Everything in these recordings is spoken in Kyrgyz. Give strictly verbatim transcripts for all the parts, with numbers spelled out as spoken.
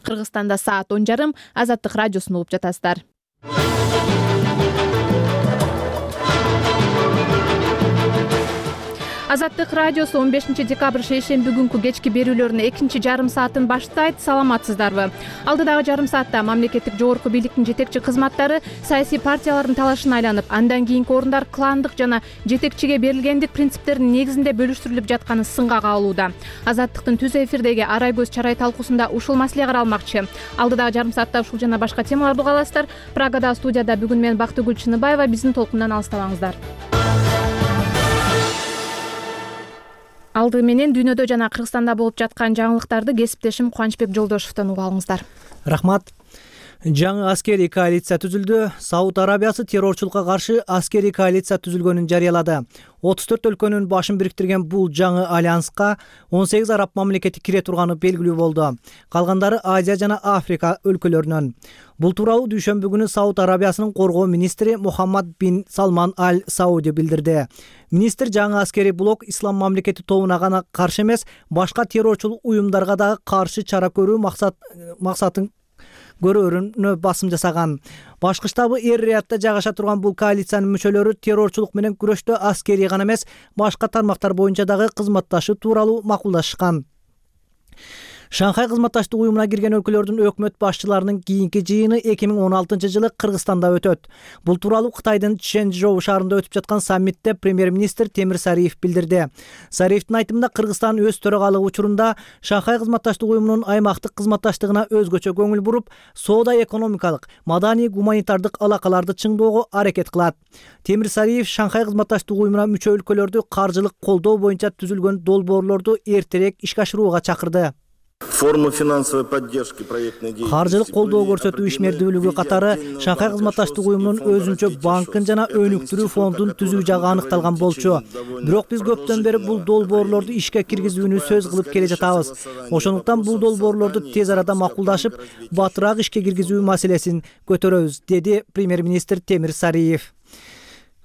Кыргызстанда саат он жарым. Азаттык радиосун угуп жатасыздар. Азаттык радиосу он бешинчи декабрь шейшемби күнкү кечки берүүлөрүнүн экинчи жарым саатын баштайт. Саламатсыздарбы? Алдыдагы жарым саатта мамлекеттик жогорку бийликтин жетекчи кызматтары саясий партиялардын талашына айланып, андан кийинки орундар кландык жана жетекчиге берилгендик принциптеринин негизинде бөлүштүрүлүп жатканы сынга кабылууда. Азаттыктын түз эфирдеги Арай көз чарай талкуусунда ушул маселе каралмакчы. Алдыдагы жарым саатта ушул жана башка темаларды уга аласыздар. Прагада студияда бүгүн мен Бактыгүл Чыныбаева. Биздин толкундан алыстабаңыздар. Алды менен дүйнөдө жана Кыргызстанда болуп жаткан жаңылыктарды кесиптешим Кубанычбек Жолдошевдон угуп алыңыздар. Рахмат. Жаңы аскерий коалиция түзүлдү. Сауд Арабиясы террорчулукка каршы аскерий коалиция түзүлгөнүн жарыялады. отуз төрт өлкөнүн башын бириктирген бул жаңы альянска он сегиз араб мамлекети кире турганы белгилүү болду. Калгандары Азия жана Африка өлкөлөрүнөн. Бул тууралуу дүйшөмбү күнү Сауд Арабиясынын коргоо министри Мухаммад бин Салман аль Сауди билдирди. Министр жаңы аскерий блок ислам мамлекети тобуна гана каршы эмес, башка террорчул уюмдарга дагы каршы чара көрүү максат максатын көрөөрүнө басым жасаган. Башкы штабы Эр-Риядда жайгаша турган бул коалициянын мүчөлөрү террорчулук менен күрөштө аскерий гана эмес, башка тармактар боюнча дагы кызматташуу тууралуу макулдашышкан. Шанхай кызматташтык уюмуна кирген өлкөлөрдүн өкмөт башчыларынын кийинки жыйыны эки миң он алтынчы жылы Кыргызстанда өтөт. Бул тууралуу Кытайдын Чжэнчжоу шаарында өтүп жаткан саммитте премьер-министр Темир Сариев билдирди. Сариевдин айтымында Кыргызстан өз төрагалыгы учурунда Шанхай кызматташтык уюмунун аймактык кызматташтыгына өзгөчө көңүл буруп, соода-экономикалык, маданий-гуманитардык алакаларды чыңдоого аракет кылат. Темир Сариев Шанхай кызматташтык уюмуна мүчө өлкөлөрдү каржылык колдоо боюнча түзүлгөн долбоорлорду эртерээк ишке ашырууга чакырды. Форма финансовой поддержки проектной деятельности. Каржылык колдоо көрсөтүү ишмердүүлүгү катары Шанхай кызматташтык уюмунун өзүнчө банкын жана өнүктүрүү фондун түзүү жагы аныкталган болчу. Бирок биз көптөн бери бул долбоорлорду ишке киргизүүнү сөз кылып келе жатабыз. Ошондуктан бул долбоорлорду тез арада макулдашып, батыраак ишке киргизүү маселесин көтөрөбүз, деди премьер-министр Темир Сариев.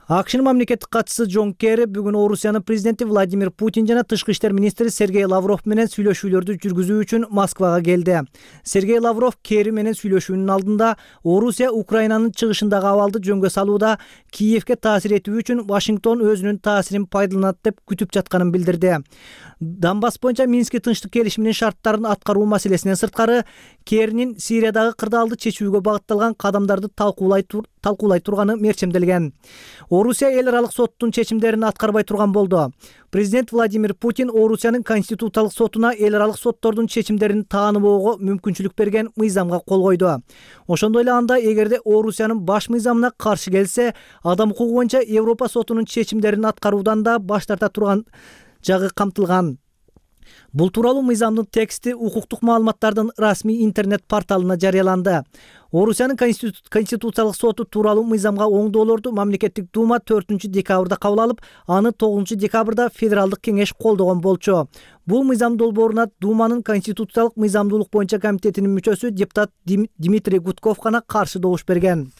АКШнын мамлекеттик катчысы Джон Керри бүгүн Орусиянын президенти Владимир Путин жана тышкы иштер министри Сергей Лавров менен сүйлөшүүлөрдү жүргүзүү үчүн Москвага келди. Сергей Лавров Керри менен сүйлөшүүнүн алдында Орусия Украинанын чыгышындагы абалды жөнгө салууда Киевке таасир этүү үчүн Вашингтон өзүнүн таасирин пайдаланат деп күтүп жатканын билдирди. Донбасс боюнча Мински тынчтык келишиминин шарттарын аткаруу маселесинен сырткары, Керринин Сириядагы кырдаалды чечүүгө багытталган кадамдарды талкуулай талкуулай турганы мерчемделген. Орусия эл аралык соттун чечимдерин аткарбай турган болду. Президент Владимир Путин Орусиянын конституциялык сотуна эл аралык соттордун чечимдерин тааныбоого мүмкүнчүлүк берген мыйзамга кол койду. Ошондой эле анда эгерде Орусиянын баш мыйзамына каршы келсе, адам укугу боюнча Европа сотунун чечимдерин аткаруудан да баш тарта турган жагы камтылган. Бул тууралуу мыйзамдын тексти укуктук маалыматтардын расмий интернет порталына жарыяланды. Орусиянын конституциялык соту тууралуу мыйзамга оңдоолорду мамлекеттик дума төртүнчү декабрда кабыл алып, аны тогузунчу декабрда федералдык кеңеш колдогон болчу. Бул мыйзам долбооруна Думанын конституциялык мыйзамдуулук боюнча комитетинин мүчөсү депутат Дмитрий Гудков гана каршы добуш берген.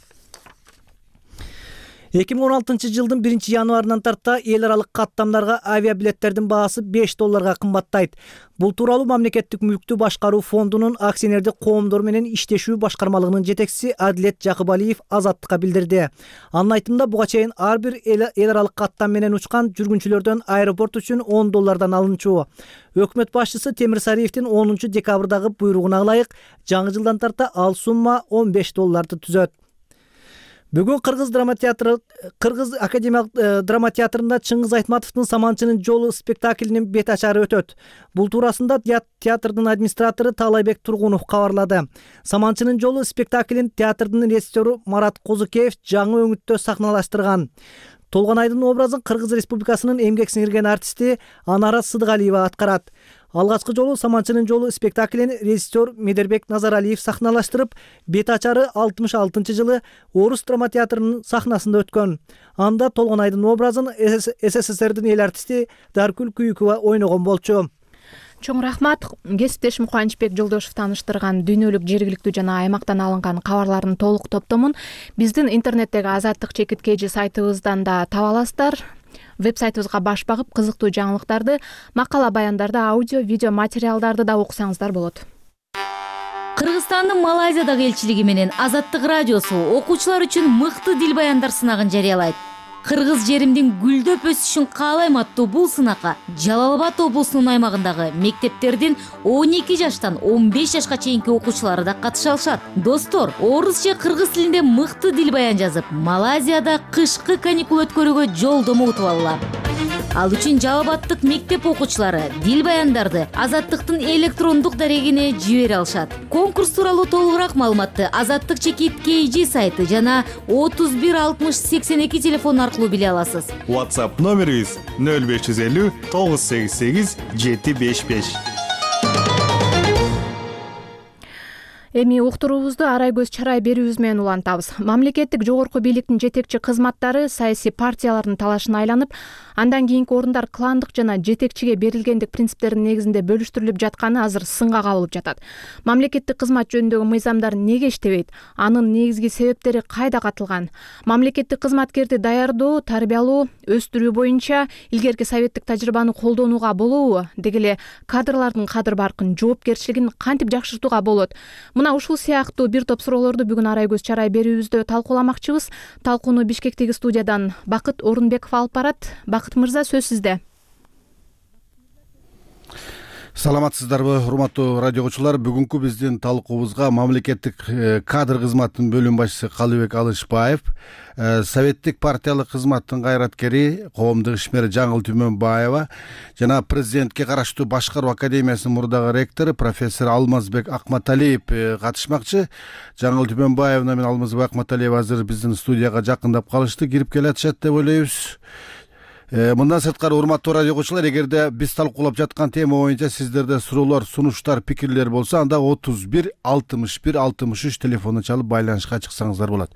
эки миң он алтынчы жылдын биринчи январынан тарта эл аралык каттамдарга авиабилеттердин баасы беш долларга кымбаттайт. Бул тууралуу мамлекеттик мүлктү башкаруу фондунун акционердик коомдор менен иштешүү башкармалыгынын жетекчиси Адилет Жакыбалиев Азаттыкка билдирди. Анын айтымында буга чейин ар бир эл аралык каттам менен учкан жүргүнчүлөрдөн аэропорт үчүн он доллардан алынчу. Өкмөт башчысы Темир Сариевдин онунчу декабрдагы буйругуна ылайык жаңы жылдан тарта ал сумма он беш долларды түзөт. Бүгүн Кыргыз драма театры, Кыргыз академиялык драма театрында Чыңгыз Айтматовдун Саманчынын жолу спектаклинин бет ачары өтөт. Бул туурасында театрдын администратору Таалайбек Тургунов кабарлады. Саманчынын жолу спектаклин театрдын режиссеру Марат Козукеев жаңы өңүттө сахналаштырган. Толгонайдын образын Кыргыз Республикасынын эмгек сиңирген артисти Анара Сыдыгалиева аткарат. Алгачкы жолу Саманчынын жолу спектаклин режиссер Медербек Назаралиев сахналаштырып, бет ачары алтымыш алтынчы жылы Орус драма театрынын сахнасында өткөн. Анда Толгонайдын образын СССРдин эл артисти Даркүл Күйүкова ойногон болчу. Чоң рахмат. Кесиптешим Кубанычбек Жолдошев тааныштырган дүйнөлүк, жергиликтүү жана аймактан алынган кабарлардын толук топтомун биздин интернеттеги Азаттык чекит kg сайтыбыздан да таба аласыздар. Веб-сайтыбызга баш багып, кызыктуу жаңылыктарды, макала баяндарды, аудио, видео материалдарды да окусаңыздар болот. Кыргызстандын Малайзиядагы элчилиги менен Азаттык радиосу окуучулар үчүн мыкты дил баяндар сынагын жарыялайт. Кыргыз жеримдин гүлдөп өсүшүн каалайм аттуу бул сынакка Жалал Абад облусунун аймагындагы мектептердин он эки жаштан он беш жашка чейинки окуучулары да катыша алышат. Достор, орус же кыргыз тилинде мыкты дил баян жазып, Малайзияда кышкы каникул өткөрүүгө жолдомо утуп алгыла. Ал үчүн Жалал Абадтык мектеп окуучулары дил баяндарды Азаттыктын электрондук дарегине жибере алышат. Конкурс тууралуу толугураак маалыматты Азаттык чекит кей джи сайты жана отуз бир алтымыш сексен эки телефон аркылуу биле аласыз. WhatsApp номерибиз нөл беш жүз элүү тогуз сегиз сегиз жети беш беш. Эми уктуруубузду арай көз чарай берүүбүз менен улантабыз. Мамлекеттик жогорку бийликтин жетекчи кызматтары саясий партиялардын талашына айланып, андан кийинки орундар кландык жана жетекчиге берилгендик принциптердин негизинде бөлүштүрүлүп жатканы азыр сынга кабылып жатат. Мамлекеттик кызмат жөнүндөгү мыйзамдар неге иштебейт? Анын негизги себептери кайда катылган? Мамлекеттик кызматкерди даярдоо, тарбиялоо, өстүрүү боюнча илгерки советтик тажрыйбаны колдонууга болобу? Деги эле кадрлардын кадыр баркын, жоопкерчилигин кантип жакшыртууга болот? Мына ушул сыяктуу бир топ суроолорду бүгүн арай көз чарай берүүбүздө талкууламакчыбыз. Талкууну Бишкектеги студиядан Бакыт Орунбеков алып барат. Бакыт мырза, сөз сизде. Саламатсыздарбы, урматтуу радио окуучулар. Бүгүнкү биздин талкуубузга мамлекеттик кадр кызматынын бөлүм башчысы Калыбек Алышбаев, советтик партиялык кызматтын кайраткери, коомдук ишмери Жаңыл Түмөнбаева жана президентке караштуу Башкаруу академиясынын мурдагы ректору профессор Алмазбек Акматалиев катышмакчы. Жаңыл Түмөнбаевна менен Алмазбек Акматалиев азыр биздин студияга жакындап калышты, кирип келатышат деп ойлойбуз. Мындан сырткары, урматтуу радио окуучулар, эгерде биз талкуулап жаткан тема боюнча сиздерде суроолор, сунуштар, пикирлер болсо, анда отуз бир алтымыш бир алтымыш үч телефонун чалып байланышка чыксаңыздар болот.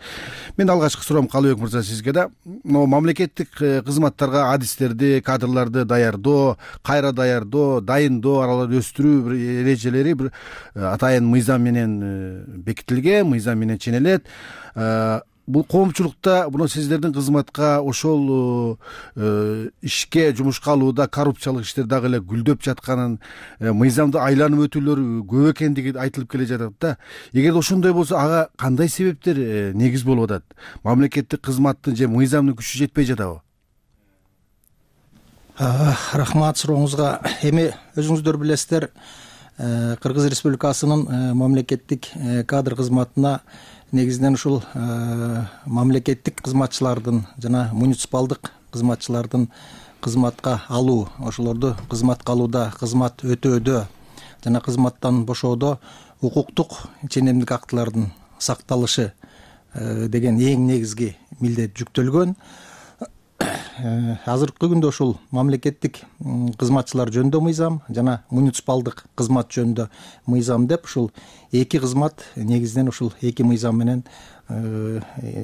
Мен алгачкы суроом Калыбек мырза сизге да. Мамлекеттик кызматтарга адистерди, кадрларды даярдоо, кайра даярдоо, дайындоо, араларды өстүрүү бир эрежелери бир атайын мыйзам менен бекитилген, мыйзам менен ченелет. Бул коомчулукта буну сиздердин кызматка ошол ишке, жумушка алууда коррупциялык иштер дагы эле гүлдөп жатканын, мыйзамды айланып өтүүлөр көп экендиги айтылып келе жатат да. Эгерде ошондой болсо, ага кандай себептер негиз болуп атат? Мамлекеттик кызматтын же мыйзамдын күчү жетпей жатабы? Рахмат сурооңузга. Эми өзүңүздөр билесиздер, Кыргыз Республикасынын мамлекеттик кадр кызматына негизинен ушул мамлекеттик кызматчылардын жана муниципалдык кызматчылардын кызматка алуу, ошолорду кызматка алууда, кызмат өтөөдө жана кызматтан бошоодо укуктук ченемдик актылардын сакталышы деген эң негизги милдет жүктөлгөн. Азыркы күндө ушул мамлекеттик кызматчылар жөнүндө мыйзам жана муниципалдык кызмат жөнүндө мыйзам деп ушул эки кызмат негизинен ушул эки мыйзам менен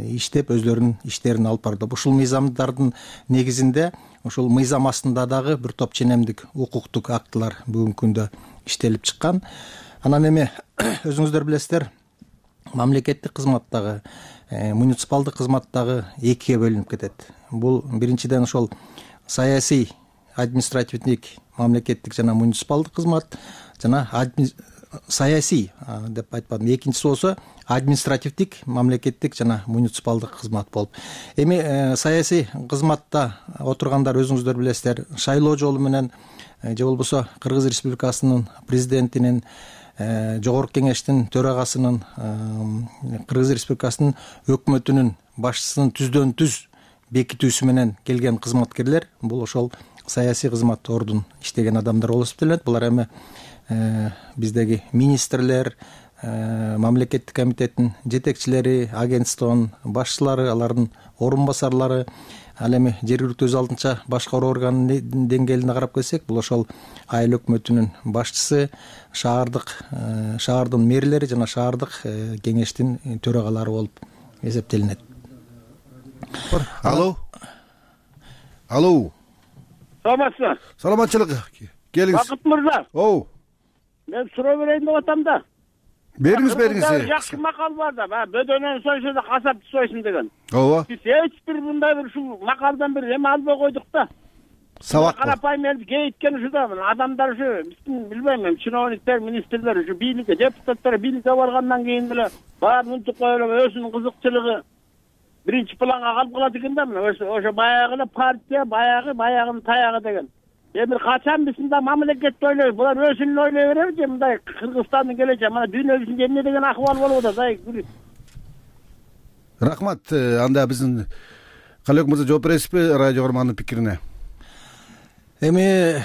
иштеп өздөрүнүн иштерин алып барды. Ушул мыйзамдардын негизинде ушул мыйзам астында дагы бир топ ченемдик укуктук актылар бүгүнкү күндө иштелип чыккан. Анан эми өзүңүздөр билесиздер, мамлекеттик кызматтагы, муниципалдык кызматтагы экиге бөлүнүп кетет. Бул биринчиден ошол саясий, административдик, мамлекеттик жана муниципалдык кызмат жана саясий деп айтпадым. Экинчиси болсо административдик, мамлекеттик жана муниципалдык кызмат болуп. Эми саясий кызматта отургандар өзүңүздөр билесиздер, шайлоо жолу менен же болбосо Кыргыз Республикасынын президентинин, Жогорку кеңештин төрагасынын, Кыргыз Республикасынын өкмөтүнүн башчысынын түздөн түз бекитүүсү менен келген кызматкерлер, бул ошол саясий кызмат ордун иштеген адамдар болуп эсептелет. Булар эми биздеги министрлер, мамлекеттик комитеттин жетекчилери, агентствонун башчылары, алардын орун басарлары, ал эми жергиликтүү өз алдынча башкаруу органынын деңгээлине карап келсек, бул ошол айыл өкмөтүнүн башчысы, шаардык шаардын мэрлери жана шаардык кеңештин төрагалары болуп эсептелинет. Алло. Алло. Саламатсызбы? Саламатчылык. Келиңиз. Бакыт мырза. Оу. Мен суроо берейин деп атам да. Бериңиз, бериңиз. Жакшы макал бар да, бөдөнөн сойсо да касапты сойсун деген. Ооба. Биз эч бир мындай бир ушул макалдан бир эме албай койдук да. Сабак карапайым элди кейиткен ушуда адамдар ушу биздин билбейм эми чиновниктер, министрлер ушу бийликке, депутаттар бийликке баргандан кийин эле баарын унутуп коюп өзүнүн кызыкчылыгы биринчи планга калып калат экен да. Мына ошо баягы эле партия, баягы баягынын таягы деген. Эми качан биз мындай мамлекетти ойлойбуз, булар өзүн ойлой береби же мындай Кыргызстандын келечеги, мына дүйнө жүзүндө эмне деген акыбал болуп атат, ай. Рахмат. Анда биздин Калыбек мырза жооп бересизби радио көрөрмандын пикирине? Эми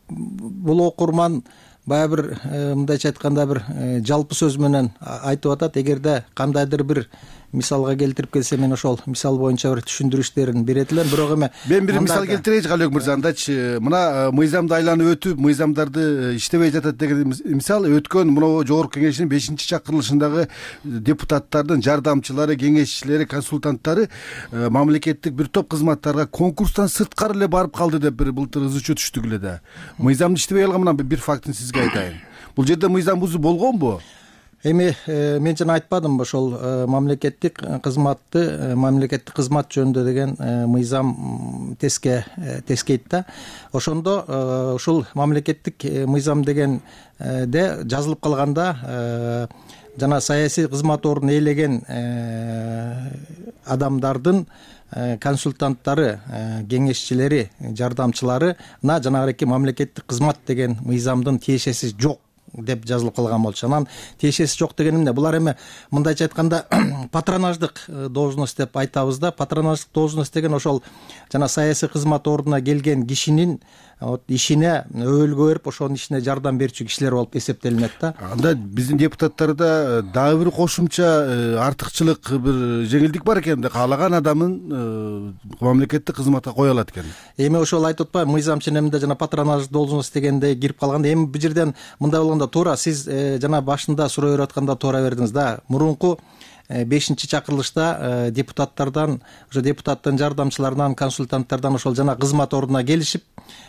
бул окурман баягы бир мындайча айтканда бир жалпы сөз менен айтып атат. Эгерде кандайдыр бир мисалга келтирип келсе, мен ошол мисал боюнча бир түшүндүрүштөрүн берет элем. Бирок эми мен бир мисал келтирейинчи Калыбек мырза. Андачы мына мыйзамды айланып өтүп, мыйзамдарды иштебей жатат деген мисал өткөн мына жогорку кеңештин бешинчи чакырылышындагы депутаттардын жардамчылары, кеңешчилери, консультанттары мамлекеттик бир топ кызматтарга конкурстан сырткары эле барып калды деп бир былтыр ызы чуу түштүк эле да. Мыйзамды иштебей калган мына бир фактын сизге айтайын. Бул жерде мыйзам бузуу болгонбу? Эми мен жана айтпадымбы ошол мамлекеттик кызматты, мамлекеттик кызмат жөнүндө деген мыйзам теске тескейт да. Ошондо ушул мамлекеттик мыйзам дегенде жазылып калганда жана саясий кызмат ордун ээлеген адамдардын консультанттары, кеңешчилери, жардамчыларына жанагы мамлекеттик кызмат деген мыйзамдын тиешеси жок деп жазылып калган болчу. Анан тиешеси жок деген эмне? Булар эми мындайча айтканда патронаждык должность деп айтабыз да. Патронаждык должность деген ошол жана саясий кызмат ордуна келген кишинин ишине өбөлгө берип, ошонун ишине жардам берүүчү кишилер болуп эсептелинет да. Анда биздин депутаттарда дагы бир кошумча артыкчылык, бир жеңилдик бар экен да. Каалаган адамын мамлекеттик кызматка кое алат экен. Эми ошол айтып атпайбы, мыйзам ченеминде жана патронаждык должность дегенде кирип калганда, эми бул жерден мындай болгондо туура сиз жана башында суроо берип атканда туура бердиңиз да. Мурунку бешинчи чакырылышта депутаттардан, ошо депутаттын жардамчыларынан, консультанттардан ошол жана кызмат ордуна келишип,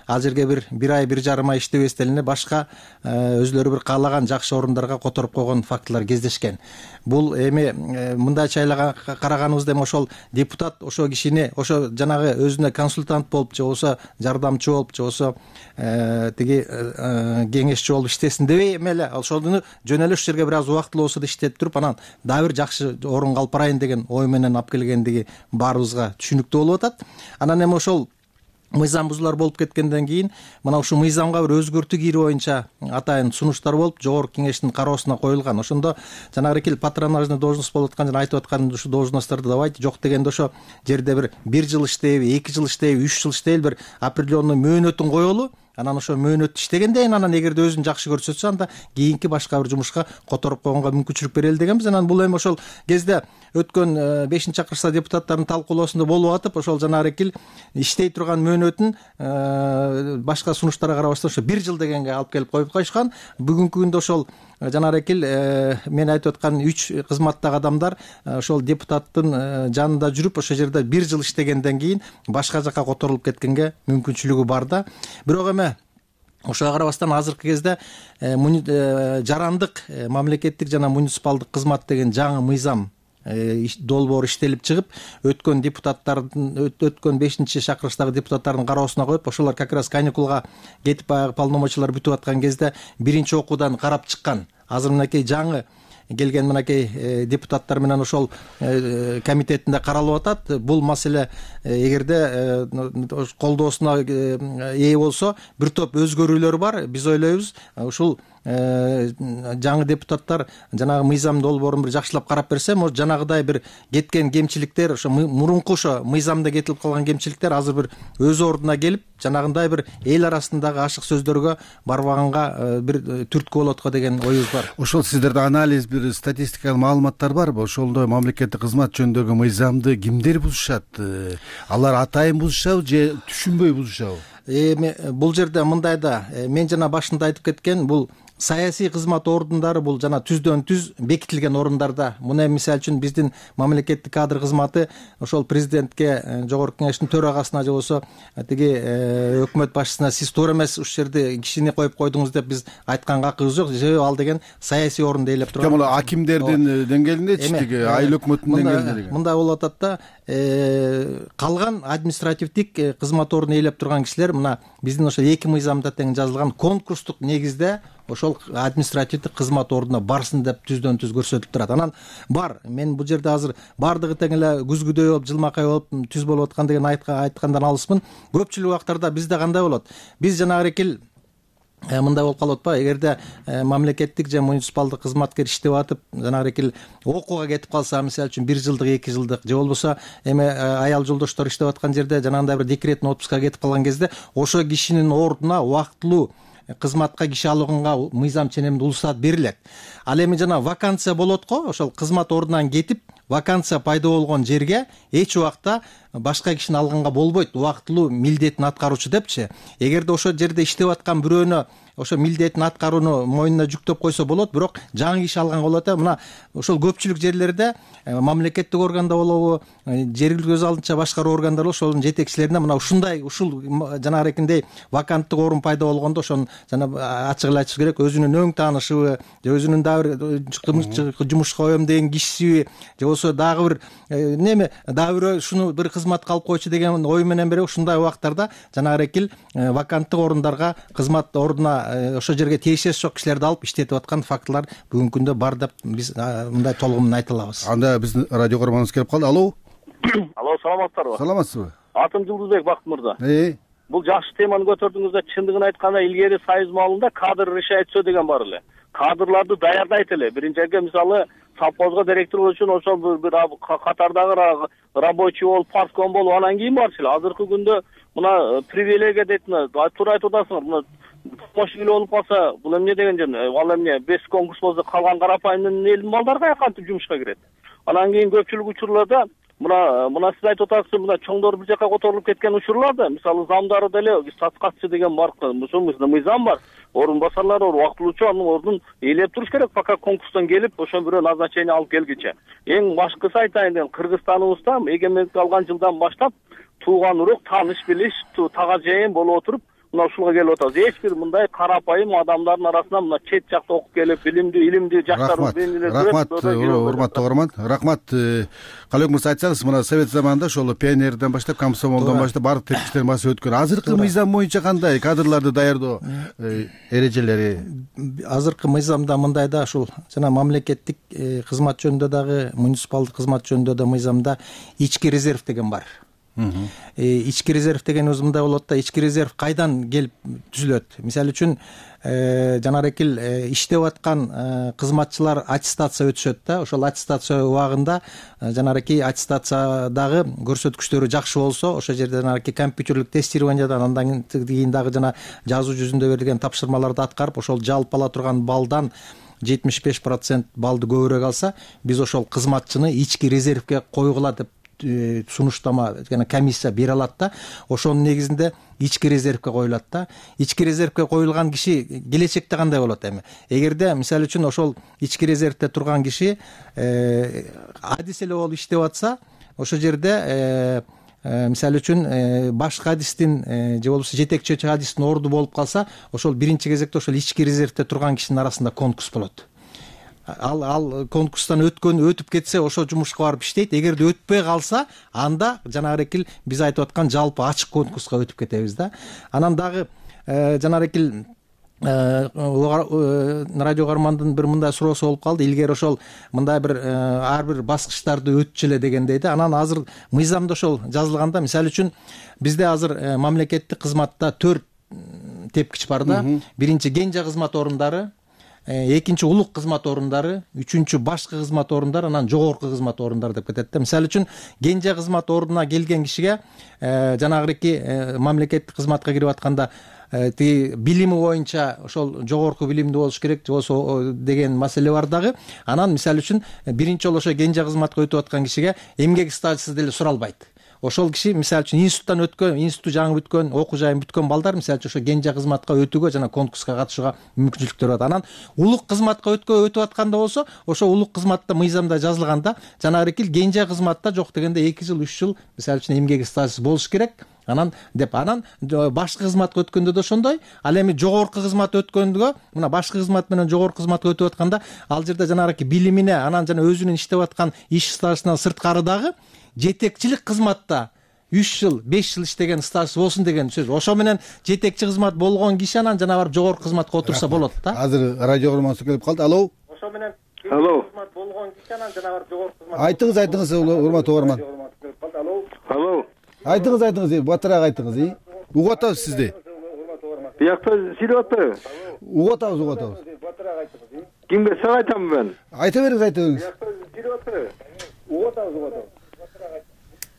ал жерге бир бир ай, бир жарым ай иштебестен эле башка өзүлөрү бир каалаган жакшы орундарга которуп койгон фактылар кездешкен. Бул эми мындайча караганыбызда эми ошол депутат ошо кишини, ошо жанагы өзүнө консультант болуп же болбосо жардамчы болуп же болбосо тиги кеңешчи болуп иштесин дебей эми эле ошону жөн эле ушул жерге бир аз убактылуу болсо да иштеп туруп, анан дагы бир жакшы орунга алып барайын деген ой менен алып келгендиги баарыбызга түшүнүктүү болуп атат. Анан эми ошол мыйзам бузуулар болуп кеткенден кийин мына ушул мыйзамга бир өзгөртүү кирүү боюнча атайын сунуштар болуп жогорку кеңештин кароосуна коюлган. Ошондо жанагы патронажный должность болуп аткан жана айтып аткан ушул должностторду давайте жок дегенде ошо жерде бир бир жыл иштейби, эки жыл иштейби, үч жыл иштейби, бир определенный мөөнөтүн коелу. Анан ошо мөөнөт иштегенден кийин анан эгерде өзүн жакшы көрсөтсө, анда кийинки башка бир жумушка которуп койгонго мүмкүнчүлүк берели дегенбиз. Анан бул эми ошол кезде өткөн бешинчи чакырышта депутаттардын талкуулоосунда болуп атып, ошол жанагы иштей турган мөөнөтүн башка сунуштарга карабастан ошо бир жыл дегенге алып келип коюп коюшкан. Бүгүнкү күндө ошол жанагы мен айтып аткан үч кызматтагы адамдар ошол депутаттын жанында жүрүп, ошол жерде бир жыл иштегенден кийин башка жака которулуп кеткенге мүмкүнчүлүгү бар да. Бирок эми ошого карабастан азыркы кезде жарандык мамлекеттик жана муниципалдык кызмат деген жаңы мыйзам долбоор иштелип чыгып, өткөн депутаттардын өткөн бешинчи чакырыштагы депутаттардын кароосуна коюп, ошолор как раз каникулга кетип баягы полномочиялар бүтүп аткан кезде биринчи окуудан карап чыккан. Азыр мынакей жаңы келген мынакей депутаттар менен ошол комитетинде каралып атат. Бул маселе эгерде колдоосуна ээ болсо, бир топ өзгөрүүлөр бар. Биз ойлойбуз, ушул жаңы депутаттар жанагы мыйзам долбоорун бир жакшылап карап берсе, может жанагыдай бир кеткен кемчиликтер, ошо мурунку ошо мыйзамда кетилип калган кемчиликтер азыр бир өз ордуна келип, жанагындай бир эл арасындагы ашык сөздөргө барбаганга бир түрткү болот го деген оюбуз бар. Ошол сиздерде анализ, бир статистикалык маалыматтар барбы? Ошондой мамлекеттик кызмат жөнүндөгү мыйзамды кимдер бузушат? Алар атайын бузушабы же түшүнбөй бузушабы? Эми бул жерде мындай да, мен жана башында айтып кеткен, бул саясий кызмат ордундары бул жана түздөн түз бекитилген орундарда. Муну мисалы үчүн биздин мамлекеттик кадр кызматы ошол президентке, жогорку кеңештин төрагасына же болбосо тиги өкмөт башчысына сиз туура эмес ушул жерде кишини коюп койдуңуз деп биз айтканга акыбыз жок. Себеби ал деген саясий орунду ээлеп турган. Бул акимдердин деңгээлиндечи тиги айыл өкмөттүн деңгээлинде мындай болуп атат да, калган административдик кызмат ордун ээлеп турган кишилер мына биздин ошол эки мыйзамда тең жазылган конкурстук негизде ошол административдик кызмат ордуна барсын деп түздөн түз көрсөтүлүп турат. Анан бар, мен бул жерде азыр баардыгы тең эле күзгүдөй болуп, жылмакай болуп, түз болуп аткан деген айткандан алыспын. Көпчүлүк убактарда бизде кандай болот? Биз жанагы экил мындай болуп калып атпайбы? Эгерде мамлекеттик же муниципалдык кызматкер иштеп атып, жанагы экил окууга кетип калса, мисалы үчүн бир жылдык, эки жылдык же болбосо эме аял жолдоштор иштеп аткан жерде жанагындай бир декреттин отпускага кетип калган кезде, ошо кишинин ордуна убактылуу кызматка киши алганга мыйзам ченемде улустат берилет. Ал эми жана вакансия болот го, ошол кызмат ордунан кетип вакансия пайда болгон жерге эч убакта башка кишини алганга болбойт, убактылуу милдетин аткаруучу депчи. Эгерде ошол жерде иштеп аткан бирөөнө ошо милдетин аткарууну мойнуна жүктөп койсо болот, бирок жаңы киши алганга болот. Мына ошол көпчүлүк жерлерде мамлекеттик органда болобу, жергиликтүү өз алдынча башкаруу органдар болобу, ошонун жетекчилерине мына ушундай ушул жанагы эркиндей ваканттык орун пайда болгондо ошону жана ачык эле айтыш керек, өзүнүн өң таанышыбы же өзүнүн дагы бир жумушка коем деген кишиси же болбосо дагы бир неме дагы бирөө ушуну бир кызматка алып койчу деген ой менен берип ушундай убактарда жанагы эркил ваканттык орундарга кызмат ордуна ошол жерге тиешеси жок кишилерди алып иштетип аткан фактылар бүгүнкү күндө бар деп биз мындай толугу менен айта алабыз. Анда биздин радио көрөрманыбыз келип калды. Алло. Алло, саламатсыздарбы? Саламатсызбы? Атым Жылдызбек Бакыт мырза. Э. Бул жакшы теманы көтөрдүңүз да, чындыгын айтканда илгери союз маалында кадр решает всё деген бар эле. Кадрларды даярдайт эле. Биринчиге мисалы совхозго директор болуш үчүн ошол бир катардагы рабочий болуп, партком болуп, анан кийин барчу эле. Азыркы күндө мына привилегия дейт, туура айтып атасыңар. Мына помощник болуп калса, бул эмне деген жөн? Ал эмне без конкурс болсо калган карапайым элдин балдары каяка кантип жумушка кирет? Анан кийин көпчүлүк учурларда мына мына сиз айтып атасыз, мына чоңдор бир жака которулуп кеткен учурларда, мисалы замдары деле саткатчы деген бар, ушул мыйзам бар. Орун басарлар, убактылуучу анын ордун ээлеп туруш керек, пока конкурстан келип, ошо бирөө назначение алып келгиче. Эң башкысы айтайын дегем, Кыргызстаныбызда эгемендик алган жылдан баштап тууган урук, тааныш билиш, тага жайын болуп отуруп мына ушулга келип атабыз. Эч бир мындай карапайым адамдардын арасынан мына чет жакта окуп келип, билимдүү, илимдүү жаштар белгилер. Рахмат, урматтуу көрөрман. Рахмат. Калек мырза, айтсаңыз, мына совет заманында ошол пионерден баштап, комсомолдон баштап баардык тепкичтерин басып өткөн. Азыркы мыйзам боюнча кандай кадрларды даярдоо эрежелери? Азыркы мыйзамда мындай да, ушул жана мамлекеттик кызмат жөнүндө дагы, муниципалдык кызмат жөнүндө да мыйзамда ички резерв деген бар. Ички резерв деген өзү мындай болот да, ички резерв кайдан келип түзүлөт? Мисалы үчүн жанагы экил иштеп аткан кызматчылар аттестация өтүшөт да, ошол аттестация убагында жанагы аттестациядагы көрсөткүчтөрү жакшы болсо, ошол жерде жанагы компьютерлик тестированиядан андан кийин дагы жана жазуу жүзүндө берилген тапшырмаларды аткарып, ошол жалпы ала турган балдан жетимиш беш процент балды көбүрөөк алса, биз ошол кызматчыны ички резервге койгула деп сунуштама жана комиссия бере алат да, ошонун негизинде ички резервге коюлат да. Ички резервге коюлган киши келечекте кандай болот эми? Эгерде мисалы үчүн ошол ички резервде турган киши адис эле болуп иштеп атса, ошол жерде мисалы үчүн башкы адистин же болбосо жетекчи адистин орду болуп калса, ошол биринчи кезекте ошол ички резервде турган кишинин арасында конкурс болот. Ал ал конкурстан өткөн өтүп кетсе, ошо жумушка барып иштейт. Эгерде өтпөй калса, анда жанагы экил биз айтып аткан жалпы ачык конкурска өтүп кетебиз да. Анан дагы жанагы экил радио көрөрмандын бир мындай суроосу болуп калды. Илгери ошол мындай бир ар бир баскычтарды өтчү эле дегендей да. Анан азыр мыйзамда ошол жазылганда, мисалы үчүн бизде азыр мамлекеттик кызматта төрт тепкич бар да. Биринчи кенже кызмат орундары, экинчи улук кызмат орундары, үчүнчү башкы кызмат орундары, анан жогорку кызмат орундары деп кетет да. Мисалы үчүн кенже кызмат ордуна келген кишиге жанагы мамлекеттик кызматка кирип атканда тиги билими боюнча ошол жогорку билимдүү болуш керек, же болбосо деген маселе бар дагы. Анан мисалы үчүн биринчи жолу ошо кенже кызматка өтүп аткан кишиге эмгек стажысыз деле суралбайт. ошол киши мисалы үчүн институттан өткөн, институту жаңы бүткөн, окуу жайын бүткөн балдар мисалы үчүн ошо кенже кызматка өтүүгө жана конкурска катышууга мүмкүнчүлүктөр бар. Анан улук кызматка өткө өтүп атканда болсо, ошо улук кызматта мыйзамда жазылганда жанагы кил кенже кызматта жок дегенде эки жыл үч жыл мисалы үчүн эмгек стажы болуш керек. Анан деп анан башкы кызматка өткөндө да ошондой. Ал эми жогорку кызмат өткөндө, мына башкы кызмат менен жогорку кызматка өтүп атканда, ал жерде жанагы билимине, анан жана өзүнүн иштеп аткан иш стажынан сырткары дагы жетекчилик кызматта үч жыл, беш жыл иштеген стаж болсун деген сөз. Ошо менен жетекчи кызмат болгон киши анан жана барып жогорку кызматка отурса болот да. Азыр радио көрмөсү келип калды. Алло. Ошо менен Алло. кызмат болгон киши анан жана барып жогорку кызмат. Айтыңыз, айтыңыз, урматтуу угарман. Алло. Алло. Айтыңыз, айтыңыз, батыраак айтыңыз. Угуп атабыз сизди. Биякта силип атпайбы? Угуп атабыз, угуп атабыз. Батыраак айтыңыз. Кимге сага айтамын мен? Айта бериңиз, айта бериңиз. Биякта силип атпайбы? Угуп атабыз, угуп атабыз.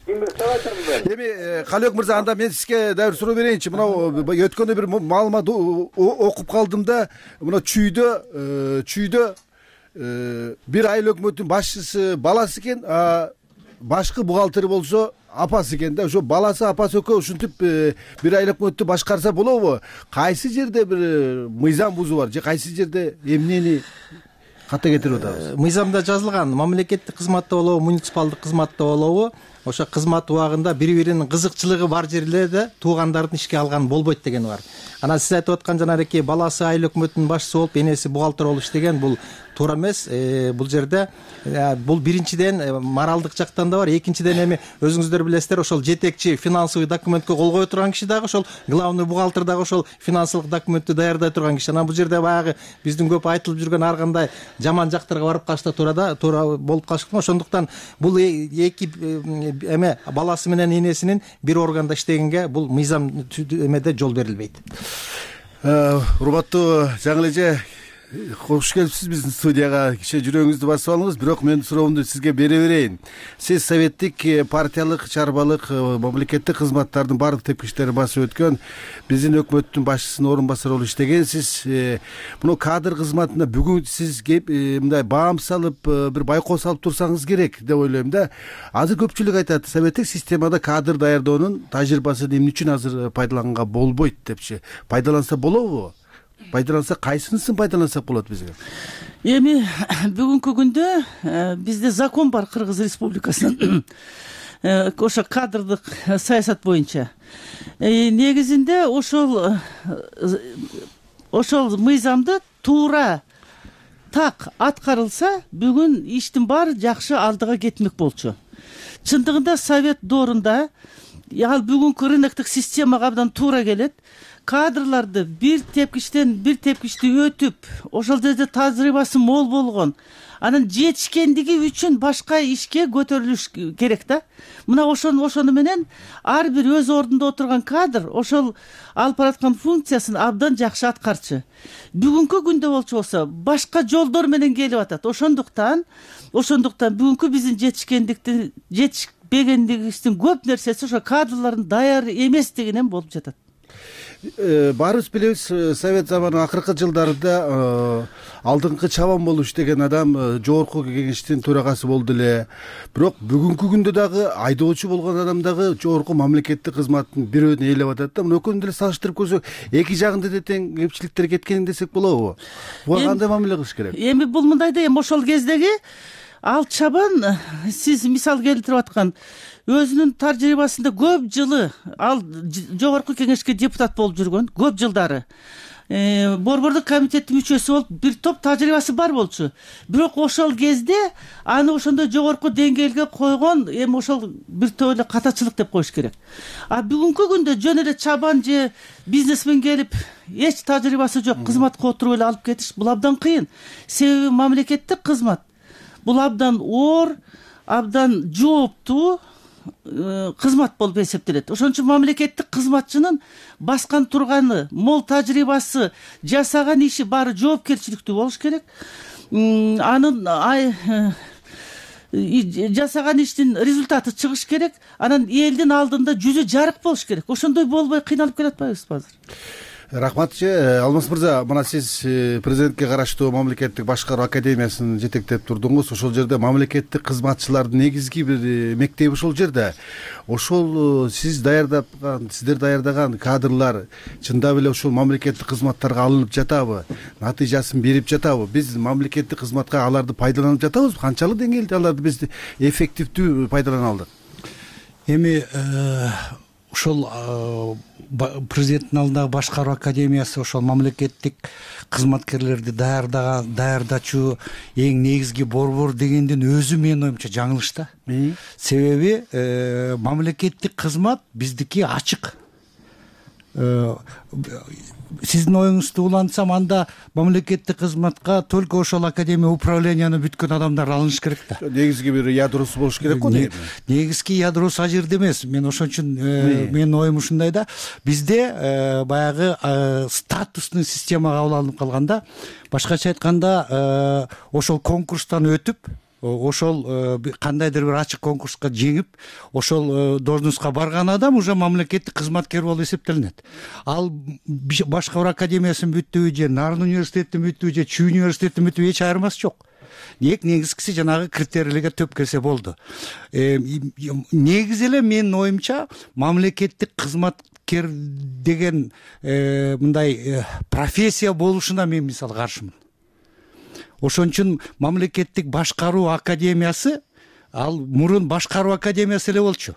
Кимге сага айтамын мен? Эми Калыбек мырза, анда мен сизге дагы бир суроо берейинчи. Мына өткөндө бир маалымат окуп калдым да, мына чүйдө, чүйдө бир айыл өкмөтүнүн башчысы баласы экен, башкы бухгалтери болсо апасы экен да. Ошо баласы, апасы экөө ушинтип бир айыл өкмөттү башкарса болобу? Кайсы жерде бир мыйзам бузуу бар же кайсы жерде эмнени ката кетирип атабыз? Мыйзамда жазылган, мамлекеттик кызматта болобу, муниципалдык кызматта болобу, ошо кызмат убагында бири-биринин кызыкчылыгы бар жерлерде туугандардын ишке алган болбойт деген бар. Анан сиз айтып аткан жанагы баласы айыл өкмөтүнүн башчысы болуп, энеси бухгалтер болуп иштеген, бул туура эмес. Бул жерде бул биринчиден моралдык жактан да бар, экинчиден эми өзүңүздөр билесиздер, ошол жетекчи финансовый документке кол кое турган киши дагы ошол главный бухгалтер дагы ошол финансылык документти даярдай турган киши. Анан бул жерде баягы биздин көп айтылып жүргөн ар кандай жаман жактарга барып калышта туура да туура болуп калышы. Ошондуктан бул эки эме баласы менен энесинин бир органда иштегенге бул мыйзам эмеде жол берилбейт. Урматтуу жаңы эже, кош келипсиз биздин студияга. Киче жүрөгүңүздү басып алыңыз, бирок мен суроомду сизге бере берейин. Сиз советтик, партиялык, чарбалык, мамлекеттик кызматтардын баардык тепкичтерин басып өткөн, биздин өкмөттүн башчысынын орун басары болуп иштегенсиз. Муну кадр кызматына бүгүн сиз кеп мындай баам салып, бир байкоо салып турсаңыз керек деп ойлойм да. Азыр көпчүлүк айтат, советтик системада кадр даярдоонун тажрыйбасы эмне үчүн азыр пайдаланганга болбойт депчи. Пайдаланса болобу? Пайдаланса кайсынысын пайдалансак болот бизге? Эми бүгүнкү күндө бизде закон бар Кыргыз Республикасынын ошо кадрдык саясат боюнча. Негизинде ошол ошол мыйзамды туура так аткарылса, бүгүн иштин баары жакшы алдыга кетмек болчу. Чындыгында совет доорунда ал бүгүнкү рыноктук системага абдан туура келет. Кадрларды бир тепкичтен бир тепкичти өтүп, ошол жерде тажрыйбасы мол болгон, анан жетишкендиги үчүн башка ишке көтөрүлүш керек да. Мына ошону ошону менен ар бир өз ордунда отурган кадр ошол алып бараткан функциясын абдан жакшы аткарчу. Бүгүнкү күндө болчу болсо башка жолдор менен келип атат. Ошондуктан ошондуктан бүгүнкү биздин жетишкендиктин жетишпегендигибиздин көп нерсеси ошо кадрлардын даяр эместигинен болуп жатат. Баарыбыз билебиз, совет заманынын акыркы жылдарында алдыңкы чабан болуп иштеген адам жогорку кеңештин төрагасы болду эле. Бирок бүгүнкү күндө дагы айдоочу болгон адам дагы жогорку мамлекеттик кызматтын бирөөнү ээлеп атат да. Мына экөөнү деле салыштырып көрсөк, эки жагында да тең кемчиликтер кеткен десек болобу? Буга кандай мамиле кылыш керек? Эми бул мындай да, эми ошол кездеги ал чабан, сиз мисал келтирип аткан, өзүнүн тажрыйбасында көп жылы ал жогорку кеңешке депутат болуп жүргөн, көп жылдары борбордук комитеттин мүчөсү болуп, бир топ тажрыйбасы бар болчу. Бирок ошол кезде аны ошондой жогорку деңгээлге койгон, эми ошол бир топ эле катачылык деп коюш керек. А бүгүнкү күндө жөн эле чабан же бизнесмен келип, эч тажрыйбасы жок кызматка отуруп эле алып кетиш, бул абдан кыйын. Себеби мамлекеттик кызмат бул абдан оор, абдан жооптуу кызмат болуп эсептелет. Ошон үчүн мамлекеттик кызматчынын баскан турганы, мол тажрыйбасы, жасаган иши баары жоопкерчиликтүү болуш керек. Анын жасаган иштин результаты чыгыш керек. Анан элдин алдында жүзү жарык болуш керек. Ошондой болбой кыйналып келатпайбызбы азыр? Рахматчы Алмаз мырза, мына сиз президентке караштуу мамлекеттик башкаруу академиясын жетектеп турдуңуз. Ошол жерде мамлекеттик кызматчылардын негизги бир мектеби ошол жерде. Ошол сиз даярдаган, сиздер даярдаган кадрлар чындап эле ошол мамлекеттик кызматтарга алынып жатабы? Натыйжасын берип жатабы? Биз мамлекеттик кызматка аларды пайдаланып жатабызбы? Канчалык деңгээлде аларды биз эффективдүү пайдалана алдык? Эми ошол президенттин алдындагы башкаруу академиясы ошол мамлекеттик кызматкерлерди даярдаган даярдачу эң негизги борбор дегендин өзү менин оюмча жаңылыш да. Себеби мамлекеттик кызмат биздики ачык. Сиздин оюңузду улантсам, анда мамлекеттик кызматка только ошол академия управленияны бүткөн адамдар алыныш керек да. Негизги бир ядросу болуш керек го дейм. Негизги ядросу ал жерде эмес. Мен ошон үчүн менин оюм ушундай да. Бизде баягы статустный системага кабыл алынып калганда, башкача айтканда, ошол конкурстан өтүп, ошол кандайдыр бир ачык конкурска жеңип, ошол должностка барган адам уже мамлекеттик кызматкер болуп эсептелинет. Ал башкаруу академиясын бүттүбү же Нарын университетин бүттүбү же Чүй университетин бүттүбү эч айырмасы жок. Эң негизгиси жанагы критерийлерге төп келсе болду. Негизи эле менин оюмча мамлекеттик кызматкер деген мындай профессия болушуна мен мисалы каршымын. Ошон үчүн мамлекеттик башкаруу академиясы ал мурун башкаруу академиясы эле болчу.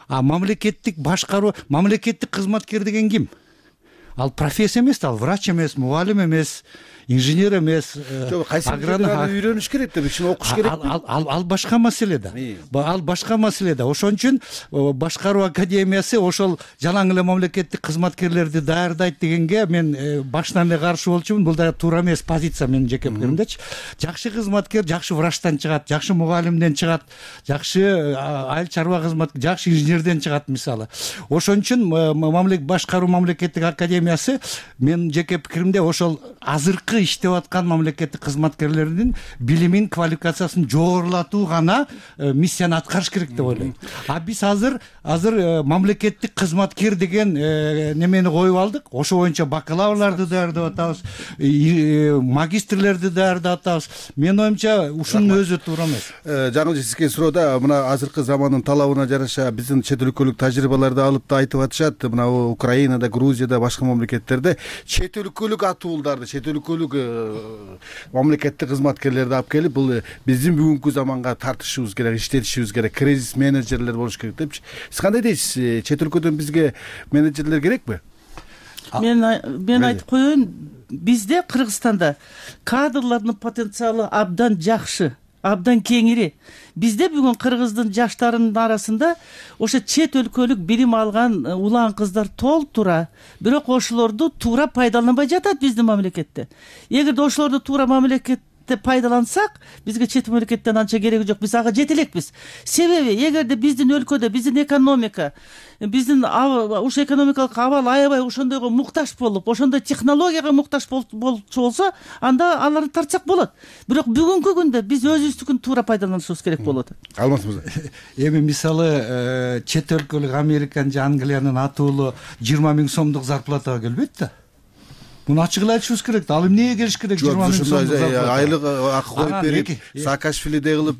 А мамлекеттик башкаруу, мамлекеттик кызматкер деген ким? Ал профессия эмес, ал врач эмес, мугалим эмес, инженер эмес, агроном. Үйрөнүш керек да, ичине окуш керек. Ал ал башка маселе да. Ал башка маселе да. Ошон үчүн башкаруу академиясы ошол жалаң эле мамлекеттик кызматкерлерди даярдайт дегенге мен башынан эле каршы болчумун. Бул да туура эмес позиция менин жеке пикиримдечи. Жакшы кызматкер жакшы врачтан чыгат, жакшы мугалимден чыгат, жакшы айыл чарба кызматкер, жакшы инженерден чыгат мисалы. Ошон үчүн мамлекеттик башкаруу мамлекеттик академиясы менин жеке пикиримде ошол азыркы иштеп аткан мамлекеттик кызматкерлердин билимин, квалификациясын жогорулатуу гана миссияны аткарыш керек деп ойлойм. А биз азыр азыр мамлекеттик кызматкер деген немени коюп алдык. Ошо боюнча бакалаврларды даярдап атабыз, магистрлерди даярдап атабыз. Менин оюмча ушунун өзү туура эмес. Жаңылыш, сизге суроода мына азыркы замандын талабына жараша биздин чет өлкөлүк тажрыйбаларды алып да айтып атышат. Мына Украинада, Грузияда, башка мамлекеттерде чет өлкөлүк атуулдарды, чет өлкөлүк мамлекеттик кызматкерлерди алып келип, бул биздин бүгүнкү заманга тартышыбыз керек, иштетишибиз керек, кризис менеджерлер болуш керек депчи. Сиз кандай дейсиз? Чет өлкөдөн бизге менеджерлер керекпи? Мен мен айтып коеюн, бизде Кыргызстанда кадрлардын потенциалы абдан жакшы, абдан кеңири. Бизде бүгүн кыргыздын жаштарынын арасында ошо чет өлкөлүк билим алган улан кыздар толтура, бирок ошолорду туура пайдаланбай жатат биздин мамлекетте. Эгерде ошолорду туура мамлекетте пайдалансак, бизге чет мамлекеттен анча кереги жок. Биз ага жете элекпиз. Себеби эгерде биздин өлкөдө биздин экономика, биздин ушу экономикалык абал аябай ошондойго муктаж болуп, ошондой технологияга муктаж болчу болсо, анда аларды тартсак болот. Бирок бүгүнкү күндө биз өзүбүздүкүн туура пайдаланышыбыз керек болот. Алмаз мырза. Эми мисалы чет өлкөлүк Американ же Англиянын атуулу жыйырма миң сомдук зарплатага келбейт да. Муну ачык эле айтышыбыз керек да. Ал эмнеге келиш керек жыйырма миң сомдук зарплата? Айлык акы коюп берип, Саакашвилидей кылып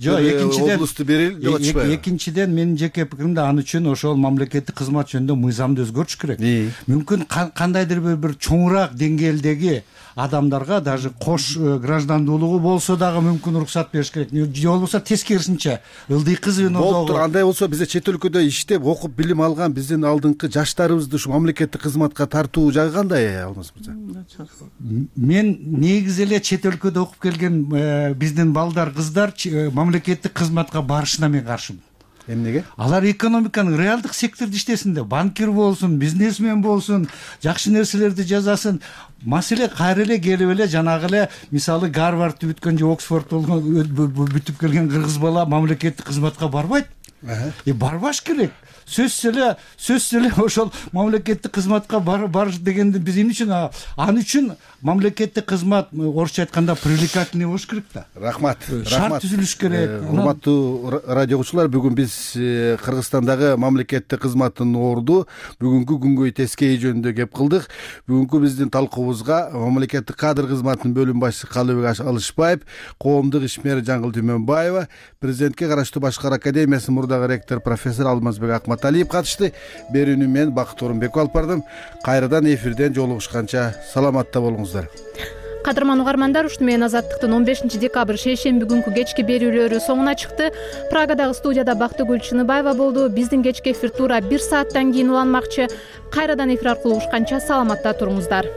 облусту берели деп атышпайбы? Экинчиден менин жеке пикиримде ан үчүн ошол мамлекеттик кызмат жөнүндө мыйзамды өзгөртүш керек. Мүмкүн кандайдыр бир чоңураак деңгээлдеги адамдарга даже кош граждандуулугу болсо дагы мүмкүн уруксат бериш керек. Же болбосо тескерисинче ылдый кызбен болуптур. Андай болсо бизде чет өлкөдө иштеп, окуп, билим алган биздин алдыңкы жаштарыбызды ушу мамлекеттик кызматка тартуу жагы кандай, Алмаз мырза? Мен негизи эле чет өлкөдө окуп келген биздин балдар, кыздар мамлекеттик кызматка барышына мен каршымын. Эмнеге? Алар экономиканын реалдык секторунда иштесин да, банкир болсун, бизнесмен болсун, жакшы нерселерди жасасын. Маселе кайра эле келип эле жанагы эле мисалы Гарвардты бүткөн же Оксфорд бүтүп келген кыргыз бала мамлекеттик кызматка барбайт. И барбаш керек. Сөзсүз эле, сөзсүз эле ошол мамлекеттик кызматка барыш дегенди биз эмне үчүн, ан үчүн мамлекеттик кызмат орусча айтканда привлекательный болуш керек да. Рахмат. Шарт түзүлүш керек. Урматтуу радиогучулар, бүгүн биз Кыргызстандагы мамлекеттик кызматтын орду бүгүнкү күнгөй тескейи жөнүндө кеп кылдык. Бүгүнкү биздин талкуубузга мамлекеттик кадр кызматынын бөлүм башчысы Калыбек Алышбаев, коомдук ишмер Жаңгыл Түмөнбаева, президентке караштуу Башкар академиясынын мурдагы ректор профессор Алмазбек Акматалиев катышты. Берүүнү мен Бакыт Орунбеков алып бардым. Кайрадан эфирден жолугушканча саламатта болуңуздар. Кадырман угармандар, ушуну менен Азаттыктын он бешинчи декабрь шейшемби күнкү кечки берүүлөрү соңуна чыкты. Прагадагы студияда Бактыгүл Чыныбаева болду. Биздин кечки эфир туура бир сааттан кийин уланмакчы. Кайрадан эфир аркылуу угушканча саламатта туруңуздар.